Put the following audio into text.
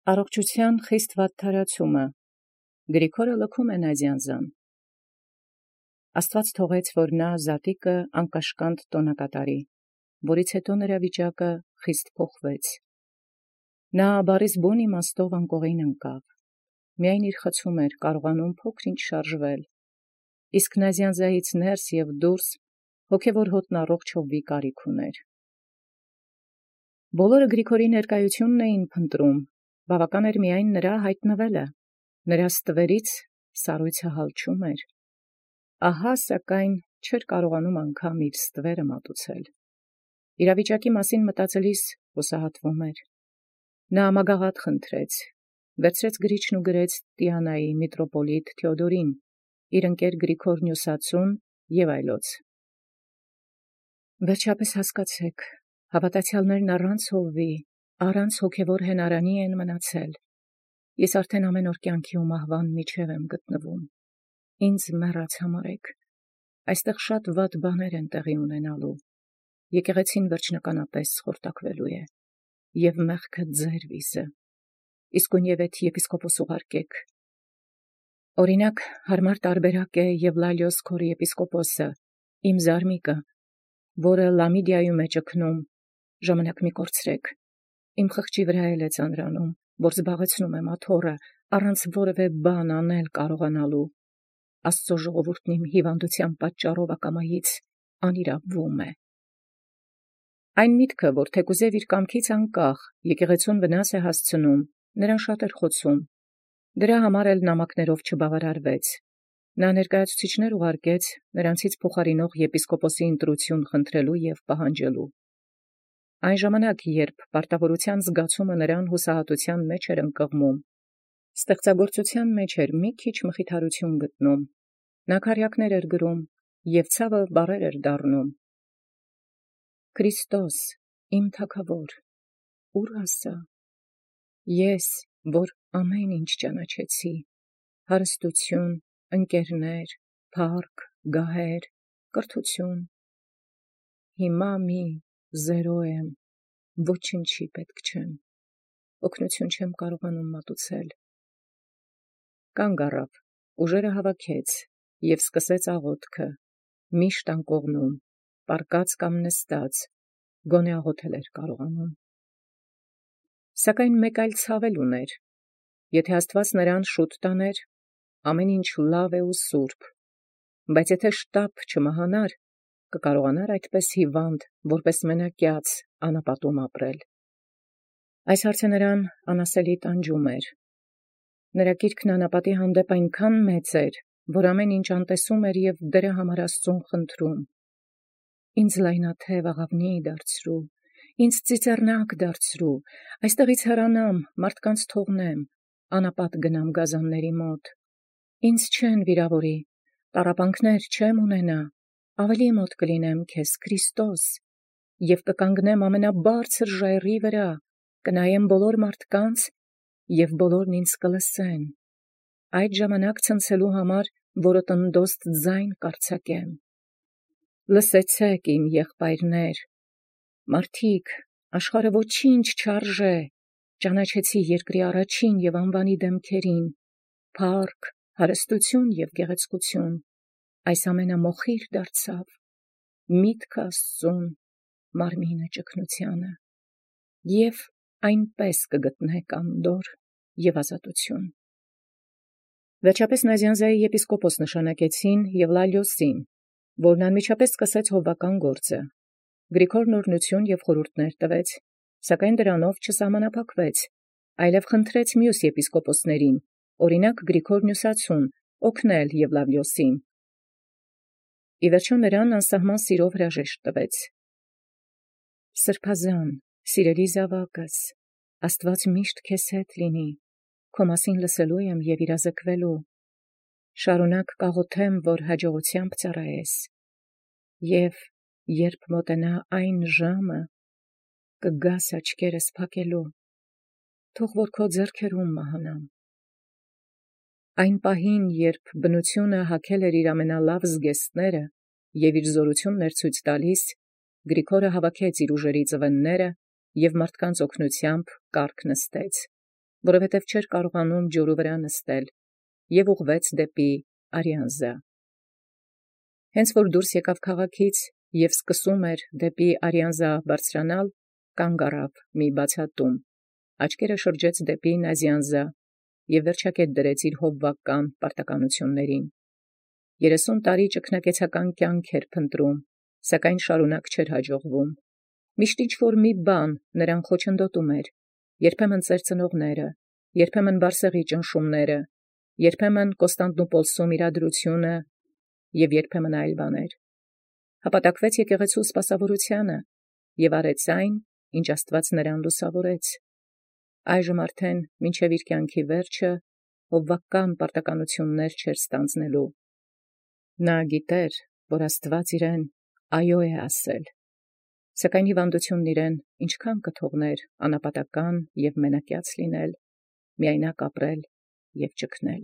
Առողջութեան խիստ վատթարացումը Գրիգորը լքում այդյանզան։ Աստուած թողեց, որ զատիկը անկաշկանդ տոնակատարի, որից հետո նրա վիճակը խիստ փոխվեց։ Բարիս բուն իմաստով անկողին ընկավ, միայն իր խցում կարողանում փոքր ինչ շարժվել, իսկ այդյանզայից ներս և դուրս հոգևոր հոտնի առողջ հովվի կարիք ուներ։ Բոլորը Գրիգորի ներկայութիւնն էին փնտրում, բավական էր միայն նրա յայտնվելը, նրա ստվերից սառոյցը հալչում էր, ահա սակայն չէր կարողանում անգամ իր ստվերը մատուցել։ Իրավիճակի մասին մտածելիս հուսահատվում էր։ Մագաղաթ խնդրեց, վերցրեց գրիչն ու գրեց Տիանայի միտրոպոլիտ Թեոդորին, իր ընկեր Գրիգոր Նյուսացուն և այլոց։ Վերջապես հասկացեք, հավատացյալներն առանց հովվի, առանց հոգևոր հենարանի են մնացել։ Ես արդեն ամեն օր կյանքի ու մահվան միջև եմ գտնվում։ Ինձ մեռած համարեք, այստեղ շատ վատ բաներ են տեղի ունենալու։ Եկեղեցին վերջնականապես խորտակվելու է, և մեղքը ձեր վիզը։ Իսկույն և էդ եպիսկոպոս ուղարկեք։ Օրինակ, հարմար տարբերակ է Եվլալիոս քոր եպիսկոպոսը, իմ զարմիկը, որը Լամիդիայում է ճգնում, ժամանակ մի կորցրեք, իմ խղճի վրա էլ է ծանրանում, որ զբաղեցնում է մաթոռը, առանց որևէ բան անել կարողանալու, Աստծո ժողովուրդն իմ հիվանդության պատճառով ակամայից անիրաւվում է։ Այն միտքը, որ թեկուզև իր կամքից անկախ եկեղեցուն վնաս է հասցնում, նրան շատ էր խոցում, դրա համար էլ նամակներով չբավարարվեց, ներկայացուցիչներ ուղարկեց նրանցից փոխարինող եպիսկոպոսի ընտրութիւն խնդրելու և պահանջելու։ Այն ժամանակ, երբ պարտավորութեան զգացումը նրան հուսահատութեան մեջ էր ընկղմում, ստեղծագործութեան մեջ էր մի քիչ մխիթարութիւն գտնում, քառյակներ էր գրում և ցաւը բառեր էր դառնում. «Քրիստոս, իմ թագաւոր, ուր հասա, ես, որ ամեն ինչ ճանաչեցի, հարստութիւն, ընկերներ, փառք, գահեր, կրթութիւն, հիմա զերո եմ, ոչնչի պետք չեմ, օգնութիւն չեմ կարողանում մատուցել»։ Կանգ առավ, ուժերը հավաքեց և սկսեց աղոթքը, միշտ անկողնում, պառկած կամ նստած, գոնե աղոթել էր կարողանում։ Սակայն մեկ այլ ցաւ էլ ուներ. եթե Աստուած նրան շուտ տանէր, ամեն ինչ լավ է ու սուրբ, բայց եթե շտապ չմահանար, կկարողանար այդպես հիվանդ, որպես մենակյաց անապատում ապրել։ Այս հարցը նրան անասելի տանջում էր։ Նրա կիրքն անապատի հանդեպ այնքան մեծ էր, որ ամեն ինչ անտեսում էր և դրա համար Աստծուն խնդրում. «Ինձ լայնաթև աղավնի դարձրու, ինձ ծիծեռնակ դարձրու, այստեղից հեռանամ, մարդկանց թողնեմ, անապատ գնամ գազանների մոտ, ինձ չեն վիրավորի, տառապանքներ չեմ ունենա, ավելի մոտ կլինեմ քեզ, Քրիստոս, և կկանգնեմ ամենաբարձր ժայռի վրա, կնայեմ բոլոր մարդկանց, և բոլորն ինձ կլսեն, այդ ժամանակ ցնցելու համար, որը տնդոստ ձայն կարձակեմ։ Լսեցե՛ք, իմ եղբայրներ, մարդիկ, աշխարհը ոչինչ չարժե, ճանաչեցի երկրի առաջին և անվանի դեմքերին, փառք, հարստություն և գեղեցկություն, այս ամենը մոխիր դարձավ, միտքը Աստծուն, մարմինը ճգնությանը, և այնպես կգտնեք անդորր և ազատություն»։ Վերջապես Նազյանզայի եպիսկոպոս նշանակեցին Եվլալիոսին, որն անմիջապես սկսեց հովվական գործը։ Գրիգորն օրհնութիւն և խորհուրդներ տվեց, սակայն դրանով չսահմանափակվեց, այլև խնդրեց մյուս եպիսկոպոսներին, օրինակ Գրիգոր Նյուսացուն, օգնել Եվլալիոսին։ Ի վերջո նրան անսահման սիրով հրաժեշտ տվեց. «Սրբազան, սիրելի զաւակս, Աստուած միշտ քեզ հետ լինի, քո մասին լսելու եմ և իրազեկվելու, շարունակ կաղոթեմ, որ հաջողութեամբ ծառայես, և երբ մոտենա այն ժամը, կգաս աչքերս փակելու, թող որ քո ձեռքերում մահանամ»։ Այն պահին, երբ բնությունը հագել էր իր ամենալավ զգեստները և իր զօրութիւնն էր ցույց տալիս, Գրիգորը հավաքեց իր ուժերի ծվենները և մարդկանց օգնութեամբ կառք նստեց։ որովհետև չէր կարողանում ջուրու վրա նստել, և ուղղվեց դեպի Արիանզա։ Հենց որ դուրս եկավ քաղաքից և սկսում էր դեպի Արիանզա բարձրանալ, կանգ առավ մի բացատում, աչքերը շրջեց դեպի Նազյանզա և վերջակետ դրեց իր հովվական պարտականութիւնացն։ 30 տարի ճգնակեցական կյանք էր փնտրում, սակայն շարունակ չէր հաջողվում։ Միշտ ինչ-որ մի բան նրան խոչընդոտում էր, երբեմն ծերծնողները, երբեմն բարսեղի ճնշումները, երբեմն Կոստանդնուպոլսում իրադրությունը և երբեմն այլ բաներ։ Հպատակվեց եկեղեցու սպասաւորութեանը և արեց այն, ինչ Աստուած նրան լուսաւորեց։ Այժմ արդեն մինչև իր կյանքի վերջը հովվական պարտականութիւններ չէր ստանձնելու։ Նա գիտեր, որ Աստուած իրեն այո է ասել, սակայն հիւանդութիւնն իրեն ինչքան կթողներ անապատական և մենակյաց լինել, միայնակ ապրել և ճգնել։